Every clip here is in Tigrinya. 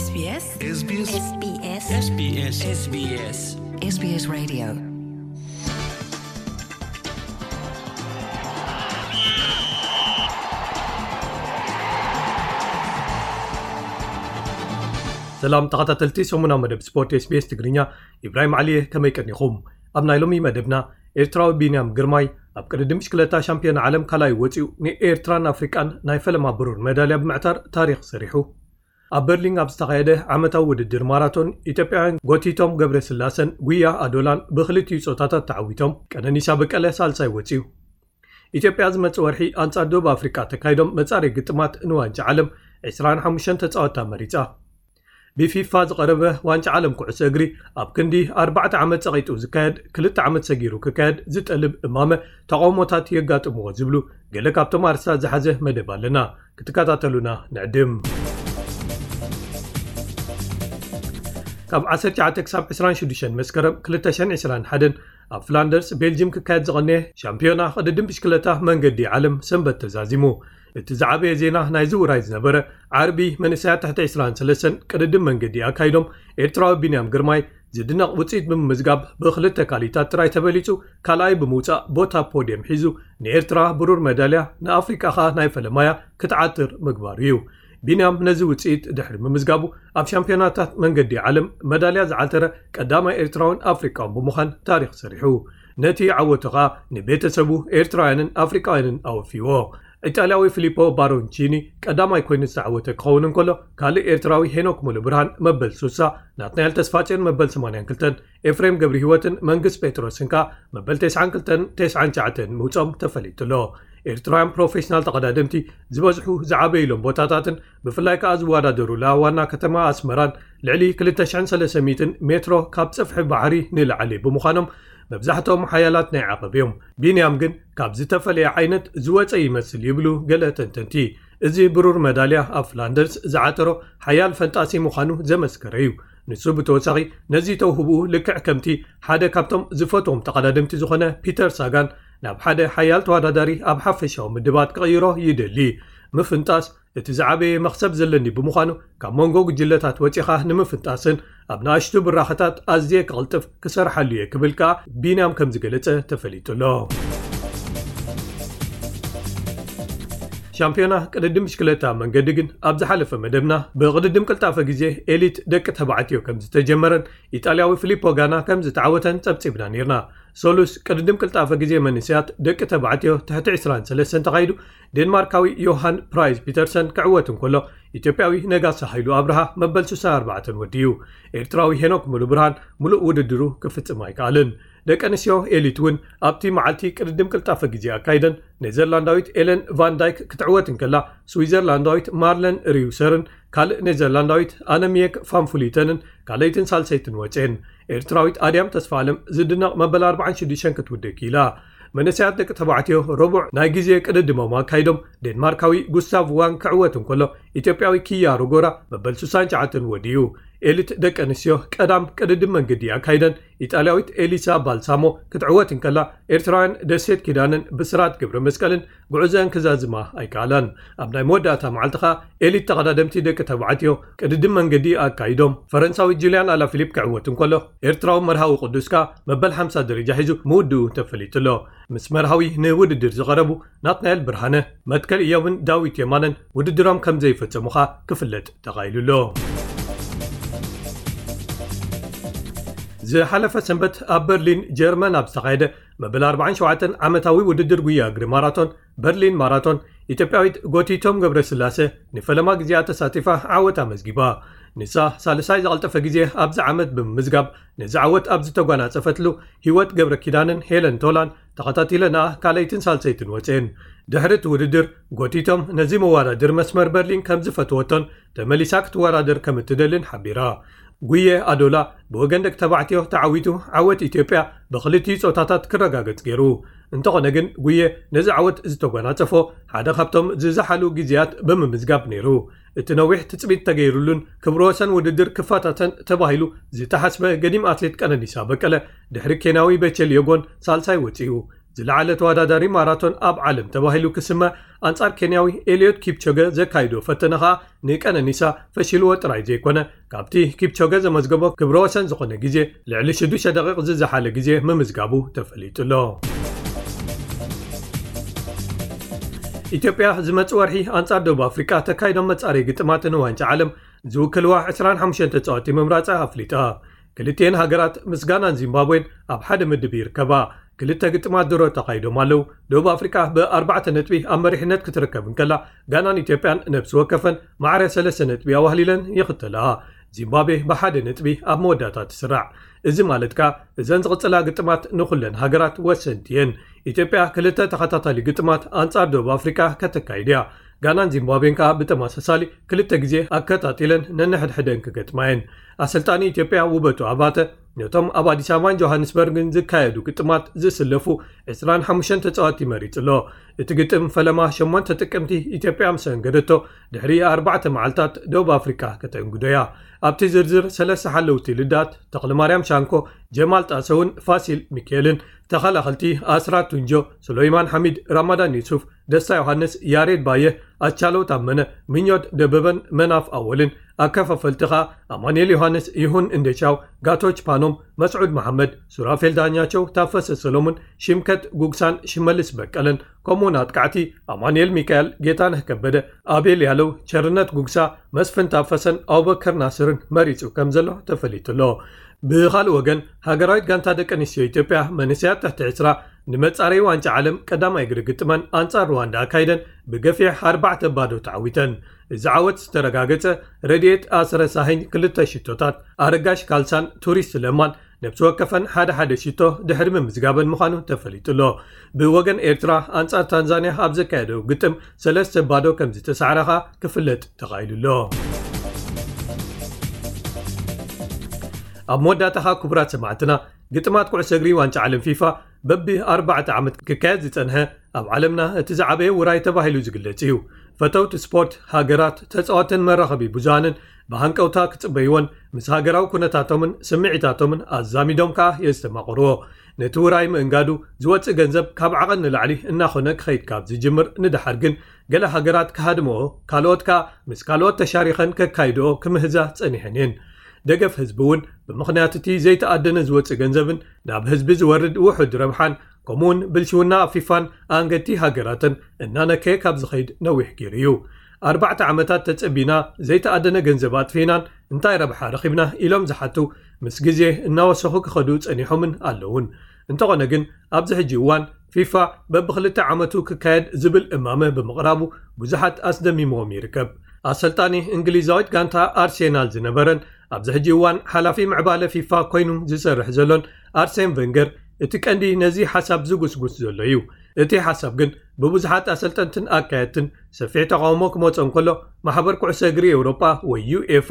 SBS SBS SBS SBS SBS SBS Radio. ሰላም ተኸታተልቲ ሰሙናዊ መደብ ስፖርት SBS ትግርኛ፣ ኢብራሂም ዓሊየ፣ ከመይ ቀኒኹም? ኣብ ናይ ሎሚ መደብና፣ ኤርትራዊ ቢንያም ግርማይ ኣብ ቅድድም ብሽክለታ ሻምፒዮን ዓለም ካልኣይ ወጺኡ፣ ንኤርትራን ኣፍሪቃን ናይ ፈለማ ብሩር መዳልያ ብምዕታር ታሪኽ ሰሪሑ። ኣብ በርሊን ኣብ ዝተኻየደ ዓመታዊ ውድድር ማራቶን፣ ኢትዮጵያውያን ጎቲቶም ገብረስላሰን ጉያ ኣዶላን ብኽልቲኡ ጾታታት ተዓዊቶም፣ ቀነኒሳ በቀለ ሳልሳይ ወጺኡ። ኢትዮጵያ ዝመጽእ ወርሒ ኣንጻር ደቡብ ኣፍሪቃ ተካይዶም መጻረይ ግጥማት ንዋንጫ ዓለም ዕስራን ሓሙሽተን ተጻወትታ መሪጻ። ብፊፋ ዝቐረበ ዋንጫ ዓለም ኩዕሶ እግሪ ኣብ ክንዲ ኣርባዕተ ዓመት ጸቒጡ ዝካየድ፣ ክልተ ዓመት ሰጊሩ ክካየድ ዝጠልብ እማመ ተቓውሞታት የጋጥምዎ ዝብሉ ገለ ካብቶም ኣርእስታት ዝሓዘ መደብ ኣለና። ክትከታተሉና ንዕድም። ካብ ዓሰርተ ትሽዓተ ክሳብ ዕስራን ሽዱሽተን መስከረም ክልተ ሽሕን ዕስራን ሓደን ኣብ ፍላንደርስ ቤልጅም ክካየድ ዝቐነየ ሻምፒዮና ቅድድም ብሽክለታ መንገዲ ዓለም ሰንበት ተዛዚሙ። እቲ ዝዓበየ ዜና ናይዚ ውራይ ዝነበረ፣ ዓርቢ መንእሰያት ትሕቲ ዕስራን ሰለስተን ቅድድም መንገዲ ኣካይዶም፣ ኤርትራዊ ቢንያም ግርማይ ዝድነቕ ውጽኢት ብምምዝጋብ ብኽልተ ካሊታት ጥራይ ተበሊጹ ካልኣይ ብምውጻእ ቦታ ፖድየም ሒዙ ንኤርትራ ብሩር መዳልያ፣ ንኣፍሪቃ ኸኣ ናይ ፈለማያ ክትዓትር ምግባሩ እዩ። ቢንያም ነዚ ውጽኢት ድሕሪ ምምዝጋቡ ኣብ ሻምፒዮናታት መንገዲ ዓለም መዳልያ ዝዓተረ ቀዳማይ ኤርትራውን ኣፍሪቃውን ብምዃን ታሪኽ ሰሪሑ። ነቲ ዓወቱ ኸኣ ንቤተሰቡ ኤርትራውያንን ኣፍሪቃውያንን ኣወፊዎ። ኢጣልያዊ ፊሊፖ ባሮንቺኒ ቀዳማይ ኮይኑ ዝተዓወተ ክኸውን እንከሎ፣ ካልእ ኤርትራዊ ሄኖክ ሙሉብርሃን መበል ሱሳ፣ ናትናኤል ተስፋጽዮን መበል ሰማንያን ክልተን፣ ኤፍሬም ገብረህይወትን መንግስ ጴጥሮስን ከኣ መበል ተስዓን ክልተን ተስዓን ትሽዓተን ምውጾም ተፈሊጡ ኣሎ። ኤርትራውያን ፕሮፌሽናል ተቐዳደምቲ ዝበዝሑ ዝዓበዩሎም ቦታታትን ብፍላይ ከኣ ዝወዳደሩላ ዋና ከተማ ኣስመራን ልዕሊ ክልተ ሽሕን ሰለስተ ሚእትን ሜትሮ ካብ ጸፍሒ ባሕሪ ንላዕሊ ብምዃኖም መብዛሕትኦም ሓያላት ናይ ዓቐብ እዮም። ቢንያም ግን ካብ ዝተፈለየ ዓይነት ዝወጸ ይመስል ይብሉ ገለ ተንተንቲ። እዚ ብሩር መዳልያ ኣብ ፍላንደርስ ዝዓተሮ ሓያል ፈንጣሲ ምዃኑ ዘመስከረ እዩ። ንሱ ብተወሳኺ ነዚ ተውህብኡ ልክዕ ከምቲ ሓደ ካብቶም ዝፈትዎም ተቐዳደምቲ ዝኾነ ፒተር ሳጋን ናብ ሓደ ሓያል ተወዳዳሪ ኣብ ሓፈሻዊ ምድባት ክቕይሮ ይደሊ። ምፍንጣስ እቲ ዝዓበየ መኽሰብ ዘለኒ ብምዃኑ፣ ካብ መንጎ ጉጅለታት ወጺኻ ንምፍንጣስን ኣብ ንኣሽቱ ብራኸታት ኣዝየ ክቕልጥፍ ክሰርሓሉ እየ ክብል ከኣ ቢንያም ከም ዝገለጸ ተፈሊጡ ኣሎ። ሻምፒዮና ቅድድም ብሽክለታ መንገዲ ግን ኣብ ዝሓለፈ መደብና ብቅድድም ቅልጣፈ ግዜ ኤሊት ደቂ ተባዕትዮ ከም ዝተጀመረን ኢጣልያዊ ፊሊፖ ጋና ከም ዝተዓወተን ጸብጺብና ነይርና። ሰሉስ ቅድድም ቅልጣፈ ግዜ መንእሰያት ደቂ ተባዕትዮ ትሕቲ ዕስራን ሰለስተን ተኻይዱ ዴንማርካዊ ዮሃን ፕራይዝ ፒተርሰን ክዕወት እንከሎ፣ ኢትዮጵያዊ ነጋሲ ሃይሉ ኣብርሃ መበል ስሳን ኣርባዕተን ወዲኡ። ኤርትራዊ ሄኖክ ሙሉብርሃን ምሉእ ውድድሩ ክፍጽም ኣይከኣልን። ደቂ ኣንስትዮ ኤሊት እውን ኣብቲ መዓልቲ ቅድድም ቅልጣፈ ግዜ ኣካይደን፣ ኔዘርላንዳዊት ኤለን ቫን ዳይክ ክትዕወት እንከላ፣ ስዊዘርላንዳዊት ማርለን ሪውሰርን ካልእ ኔዘርላንዳዊት ኣነሚየክ ፋንፉሊተንን ካልኣይትን ሳልሰይትን ወጽኤን። ኤርትራዊት ኣድያም ተስፋኣለም ዝድነቕ መበል ኣርባዓን ሽዱሽተን ክትውድእ ክኢላ። መንእሰያት ደቂ ተባዕትዮ ረቡዕ ናይ ግዜ ቅድድሞም ኣካይዶም፣ ዴንማርካዊ ጉስታቭ ዋን ክዕወት እንከሎ፣ ኢትዮጵያዊ ኪያ ሮጎራ መበል ስሳን ትሽዓተን ወዲኡ። ኤሊት ደቂ ኣንስትዮ ቀዳም ቅድድም መንገዲ ኣካይደን፣ ኢጣልያዊት ኤሊሳ ባልሳሞ ክትዕወት እንከላ፣ ኤርትራውያን ደሴት ኪዳነን ብስራት ገብረ መስቀልን ጉዕዘን ክዛዝማ ኣይከኣላን። ኣብ ናይ መወዳእታ መዓልቲ ኸኣ ኤሊት ተቐዳደምቲ ደቂ ተባዕትዮ ቅድድም መንገዲ ኣካይዶም። ፈረንሳዊ ጁልያን ኣላፊሊፕ ክዕወት እንከሎ፣ ኤርትራዊ መርሃዊ ቅዱስ ከኣ መበል ሓምሳ ደረጃ ሒዙ ምውድኡ ተፈሊጡ ኣሎ። ምስ መርሃዊ ንውድድር ዝቐረቡ ናትናኤል ብርሃነ፣ መትከል ኢዮብን ዳዊት የማነን ውድድሮም ከም ዘይፈጸሙ ኸኣ ክፍለጥ ተኻኢሉ ኣሎ። ዝሓለፈ ሰንበት ኣብ በርሊን ጀርመን ኣብ ዝተኻየደ መበል ኣርባዓን ሸውዓተን ዓመታዊ ውድድር ጉያ እግሪ ማራቶን በርሊን ማራቶን፣ ኢትዮጵያዊት ጎቲቶም ገብረስላሴ ንፈለማ ግዜኣ ተሳቲፋ ዓወት ኣመዝጊባ። ንሳ ሳልሳይ ዝቐልጠፈ ግዜ ኣብዚ ዓመት ብምምዝጋብ፣ ነዚ ዓወት ኣብ ዝተጓናጸፈትሉ፣ ህይወት ገብረ ኪዳንን ሄለን ቶላን ተኸታቲለንኣ ካልኣይትን ሳልሰይትን ወጽኤን። ድሕሪ እቲ ውድድር፣ ጎቲቶም ነዚ መወዳድር መስመር በርሊን ከም ዝፈትወቶን ተመሊሳ ክትወዳደር ከም እትደልን ሓቢራ። ጉየ ኣዶላ ብወገን ደቂ ተባዕትዮ ተዓዊቱ፣ ዓወት ኢትዮጵያ ብኽልቲኡ ጾታታት ክረጋገጽ ገይሩ። እንተኾነ ግን፣ ጉየ ነዚ ዓወት ዝተጓናጸፎ ሓደ ካብቶም ዝዘሓሉ ግዜያት ብምምዝጋብ ነይሩ። እቲ ነዊሕ ትጽቢት ተገይሩሉን ክብረ ወሰን ውድድር ክፈታተን ተባሂሉ ዝተሓስበ ገዲም ኣትሌት ቀነኒሳ በቀለ፣ ድሕሪ ኬንያዊ በቸል የጎን ሳልሳይ ወጺኡ። ዝለዓለ ተወዳዳሪ ማራቶን ኣብ ዓለም ተባሂሉ ክስመ፣ ኣንጻር ኬንያዊ ኤልዮት ኪፕቾገ ዘካይዶ ፈተነ ኸኣ ንቀነኒሳ ፈሺልዎ ጥራይ ዘይኮነ፣ ካብቲ ኪፕቾገ ዘመዝገቦ ክብረ ወሰን ዝኾነ ግዜ ልዕሊ ሽዱሽተ ደቂቕ ዝዘሓለ ግዜ ምምዝጋቡ ተፈሊጡ ኣሎ። ኢትዮጵያ ዝመጽእ ወርሒ ኣንጻር ደቡብ ኣፍሪቃ ተካይዶም መጻረይ ግጥማት ንዋንጫ ዓለም ዝውክልዋ ዕስራን ሓሙሽተን ተጻወቲ ምምራጻ ኣፍሊጣ። ክልቲኤን ሃገራት ምስ ጋናን ዚምባብዌን ኣብ ሓደ ምድብ ይርከባ። ክልተ ግጥማት ድሮ ተኻይዶም ኣለዉ። ደቡብ ኣፍሪቃ ብኣርባዕተ ነጥቢ ኣብ መሪሕነት ክትርከብ እንከላ፣ ጋናን ኢትዮጵያን ነብሲ ወከፈን ማዕረ ሰለስተ ነጥቢ ኣዋህሊለን ይኽተላ። ዚምባብዌ ብሓደ ነጥቢ ኣብ መወዳእታ ትስራዕ። እዚ ማለት ከኣ እዘን ዝቕጽላ ግጥማት ንኹለን ሃገራት ወሰንቲ እየን። ኢትዮጵያ ክልተ ተኸታታሊ ግጥማት ኣንጻር ደቡብ ኣፍሪቃ ከተካይድ እያ። ጋናን ዚምባብዌን ከኣ ብተመሳሳሊ ክልተ ግዜ ኣከታቲለን ነንሕድሕደን ክገጥማ እየን። ኣሰልጣኒ ኢትዮጵያ ውበቱ ኣባተ ነቶም ኣብ ኣዲስ ኣበባን ጆሃንስበርግን ዝካየዱ ግጥማት ዝስለፉ ዕስራን ሓሙሽተን ተጻወትቲ መሪጹ ኣሎ። እቲ ግጥም ፈለማ ሸሞንተ ጥቅምቲ ኢትዮጵያ ምስ ኣንገደቶ፣ ድሕሪ ኣርባዕተ መዓልታት ደቡብ ኣፍሪካ ከተንግዶ እያ። ኣብቲ ዝርዝር ሰለስተ ሓለውቲ ልዳት፣ ተኽለማርያም ሻንኮ፣ ጀማል ጣሰውን ፋሲል ሚካኤልን፣ ተኸላኸልቲ ኣስራት ቱንጆ፣ ሱለይማን ሓሚድ፣ ራማዳን ዩሱፍ፣ ደስታ ዮሃንስ፣ ያሬድ ባየ፣ ኣቻለው ታመነ፣ ምኞት ደበበን መናፍ ኣወልን፣ ኣከፋፈልቲ ኸኣ ኣማኑኤል ዮሃንስ፣ ይሁን እንደሻው፣ ጋቶች ፓኖም፣ መስዑድ መሓመድ፣ ሱራፌል ዳኛቸው፣ ታፈሰ ሰሎሙን፣ ሽምከት ጉግሳን ሽመልስ በቀለን፣ ከምኡውን ኣጥቃዕቲ ኣማኑኤል ሚካኤል፣ ጌታነህ ከበደ፣ ኣቤል ያለው፣ ቸርነት ጉግሳ፣ መስፍን ታፈሰን ኣቡበከር ናስርን መሪጹ ከም ዘሎ ተፈሊጡ ኣሎ። ብኻልእ ወገን፣ ሃገራዊት ጋንታ ደቂ ኣንስትዮ ኢትዮጵያ መንእሰያት ትሕቲ ዕስራ ንመጻረዪ ዋንጫ ዓለም ቀዳማይ እግሪ ግጥመን ኣንጻር ሩዋንዳ ኣካይደን ብገፊሕ ኣርባዕተ ባዶ ተዓዊተን። እዚ ዓወት ዝተረጋገጸ ረድኤት ኣስረሳሂኝ ክልተ ሽቶታት፣ ኣረጋሽ ካልሳን ቱሪስት ለማን ነብሲ ወከፈን ሓደ ሓደ ሽቶ ድሕሪ ምምዝጋበን ምዃኑ ተፈሊጡ ኣሎ። ብወገን ኤርትራ ኣንጻር ታንዛንያ ኣብ ዘካየደው ግጥም ሰለስተ ባዶ ከም ዝተሳዕረ ኸኣ ክፍለጥ ተኻኢሉ ኣሎ። ኣብ መወዳእታ ኸኣ ክቡራት ሰማዕትና፣ ግጥማት ኩዕሶ እግሪ ዋንጫ ዓለም ፊፋ በቢ ኣርባዕተ ዓመት ክካየድ ዝጸንሐ ኣብ ዓለምና እቲ ዝዓበየ ውራይ ተባሂሉ ዝግለጽ እዩ። ፈተውቲ ስፖርት፣ ሃገራት፣ ተጻወትን መራኸቢ ብዙሃንን ብሃንቀውታ ክጽበይዎን ምስ ሃገራዊ ኩነታቶምን ስምዒታቶምን ኣዛሚዶም ከኣ የስተማቕርዎ። ነቲ ውራይ ምእንጋዱ ዝወጽእ ገንዘብ ካብ ዓቐን ንላዕሊ እናኾነ ክኸይድ ካብ ዝጅምር ንደሓር ግን፣ ገለ ሃገራት ክሃድምኦ፣ ካልኦት ከኣ ምስ ካልኦት ተሻሪኸን ከካይድኦ ክምህዛ ጸኒሐን እየን። ደገፍ ህዝቢ እውን ብምኽንያት እቲ ዘይተኣደነ ዝወጽእ ገንዘብን ናብ ህዝቢ ዝወርድ ውሑድ ረብሓን፣ ከምኡውን ብልሽውና ኣብ ፊፋን ኣንገድቲ ሃገራትን እናነከየ ካብ ዝኸይድ ነዊሕ ገይሩ እዩ። ኣርባዕተ ዓመታት ተጸቢና ዘይተኣደነ ገንዘብ ኣጥፊእናን እንታይ ረብሓ ረኺብና ኢሎም ዝሓቱ ምስ ግዜ እናወሰኹ ክኸዱ ጸኒሖምን ኣለውን። እንተኾነ ግን ኣብዚ ሕጂ እዋን ፊፋ በብክልተ ዓመቱ ክካየድ ዝብል እማመ ብምቕራቡ ብዙሓት ኣስደሚምዎም ይርከብ። ኣሰልጣኒ እንግሊዛዊት ጋንታ ኣርሴናል ዝነበረን ኣብዚ ሕጂ እዋን ሓላፊ ምዕባለ ፊፋ ኮይኑ ዝሰርሕ ዘሎን ኣርሴን ቨንገር እቲ ቀንዲ ነዚ ሓሳብ ዝጉስጉስ ዘሎ እዩ። እቲ ሓሳብ ግን ብብዙሓት ኣሰልጠንትን ኣካየድትን ሰፊሕ ተቃውሞ ክመጾ እንከሎ፣ ማሕበር ኩዕሶ እግሪ ኤውሮጳ ወይ ዩኤፋ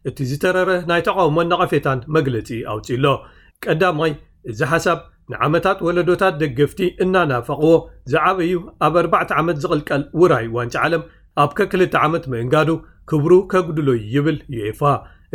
እቲ ዝተረረ ናይ ተቃውሞን ነቐፌታን መግለጺ ኣውጺኡ ኣሎ። ቀዳማይ፣ እዚ ሓሳብ ንዓመታት ወለዶታት ደገፍቲ እናናፈቕዎ ዝዓበዩ ኣብ ኣርባዕተ ዓመት ዝቕልቀል ውራይ ዋንጫ ዓለም ኣብ ከክልተ ዓመት ምእንጋዱ ክብሩ ከጉድሎ እዩ ይብል ዩኤፋ።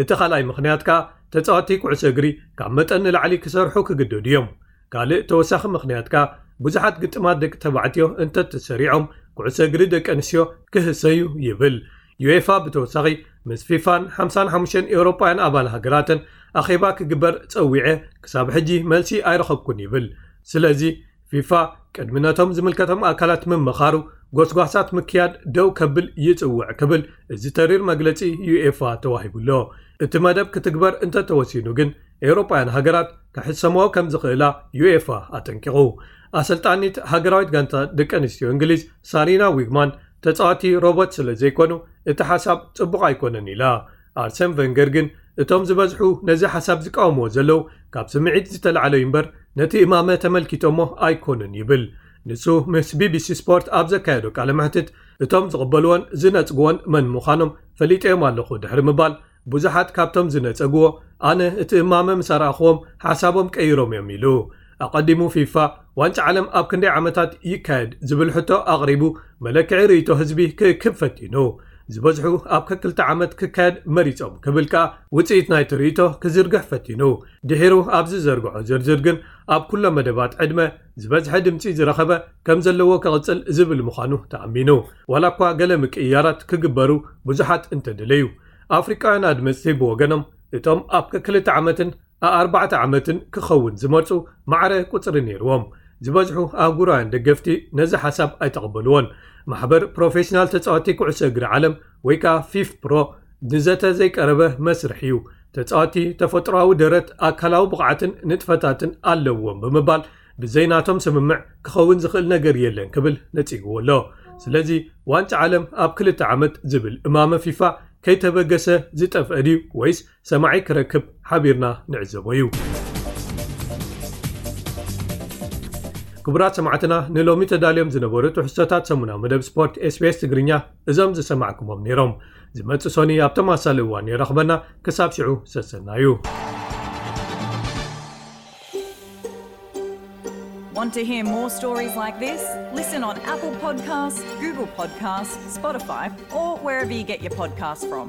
እቲ ካልኣይ ምኽንያት ከኣ ተጻወትቲ ኩዕሶ እግሪ ካብ መጠን ንላዕሊ ክሰርሑ ክግደዱ እዮም። ካልእ ተወሳኺ ምኽንያት ከኣ ብዙሓት ግጥማት ደቂ ተባዕትዮ እንተተሰሪዖም ኩዕሶ እግሪ ደቂ ኣንስትዮ ክህሰዩ ይብል። ዩኤፋ ብተወሳኺ ምስ ፊፋን ሓምሳን ሓሙሽተን ኤውሮጳውያን ኣባል ሃገራትን ኣኼባ ክግበር ጸዊዐ ክሳብ ሕጂ መልሲ ኣይረኸብኩን ይብል። ስለዚ ፊፋ ቅድሚ ነቶም ዝምልከቶም ኣካላት ምምኻሩ ጎስጓሳት ምክያድ ደው ከብል ይጽውዕ ክብል እዚ ተሪር መግለጺ ዩኤፋ ተዋሂቡ ኣሎ። እቲ መደብ ክትግበር እንተተወሲኑ ግን ኤውሮጳውያን ሃገራት ክሕሰምኦ ከም ዝኽእላ ዩኤፋ ኣጠንቂቑ። ኣሰልጣኒት ሃገራዊት ጋንታ ደቂ ኣንስትዮ እንግሊዝ ሳሪና ዊግማን ተጻዋቲ ሮቦት ስለ ዘይኮኑ እቲ ሓሳብ ጽቡቕ ኣይኮነን ኢላ። ኣርሰን ቨንገር ግን እቶም ዝበዝሑ ነዚ ሓሳብ ዝቃወምዎ ዘለዉ ካብ ስምዒት ዝተላዕለ እዩ እምበር ነቲ እማመ ተመልኪቶሞ ኣይኮኑን ይብል። ንሱ ምስ ቢቢሲ ስፖርት ኣብ ዘካየዶ ቃለ መሕትት እቶም ዝቕበልዎን ዝነጽግዎን መን ምዃኖም ፈሊጠዮም ኣለኹ ድሕሪ ምባል ብዙሓት ካብቶም ዝነጸግዎ ኣነ እቲ እማመ ምስ ኣርኣኽዎም ሓሳቦም ቀይሮም እዮም ኢሉ። ኣቐዲሙ ፊፋ ዋንጫ ዓለም ኣብ ክንደይ ዓመታት ይካየድ ዝብል ሕቶ ኣቕሪቡ መለክዒ ርእይቶ ህዝቢ ክእክብ ፈቲኑ። ዝበዝሑ ኣብ ከክልተ ዓመት ክካየድ መሪጾም ክብል ከኣ ውጽኢት ናይቲ ርእይቶ ክዝርግሕ ፈቲኑ። ድሒሩ ኣብ ዝዘርግሖ ዝርዝር ግን ኣብ ኩሎ መደባት ዕድመ ዝበዝሐ ድምጺ ዝረኸበ ከም ዘለዎ ክቕጽል ዝብል ምዃኑ ተኣሚኑ። ዋላ እኳ ገለ ምቅይያራት ክግበሩ ብዙሓት እንተደለዩ፣ ኣፍሪቃውያን ኣድመጽቲ ብወገኖም እቶም ኣብ ከክልተ ዓመትን ኣኣርባዕተ ዓመትን ክኸውን ዝመርጹ ማዕረ ቁጽሪ ነይርዎም። ዝበዝሑ ኣህጉራውያን ደገፍቲ ነዚ ሓሳብ ኣይተቐበልዎን። ማሕበር ፕሮፌሽናል ተጻወቲ ኩዕሶ እግሪ ዓለም ወይ ከኣ ፊፍ ፕሮ ንዘተ ዘይቀረበ መስርሕ እዩ። ተጻወቲ ተፈጥሮኣዊ ደረት ኣካላዊ ብቕዓትን ንጥፈታትን ኣለዎም ብምባል ብዘይ ናቶም ስምምዕ ክኸውን ዝኽእል ነገር የለን ክብል ነጺግዎ ኣሎ። ስለዚ ዋንጫ ዓለም ኣብ ክልተ ዓመት ዝብል እማመ ፊፋ ከይተበገሰ ዝጠፍአ ድዩ ወይስ ሰማዒ ክረክብ ሓቢርና ንዕዘቦ እዩ። ክቡራት ሰማዕትና ንሎሚ ተዳልዮም ዝነበሩ ትሕዝቶታት ሰሙናዊ መደብ ስፖርት ኤስቢኤስ ትግርኛ እዞም ዝሰማዕኩሞም ነይሮም። ዝመጽእ ሶኒ ኣብ ተመሳሳሊ እዋን የራኽበና። ክሳብ ሽዑ ሰሰና እዩ። Want to hear more stories like this? Listen on Apple Podcasts, Google Podcasts, Spotify, or wherever you get your podcasts from.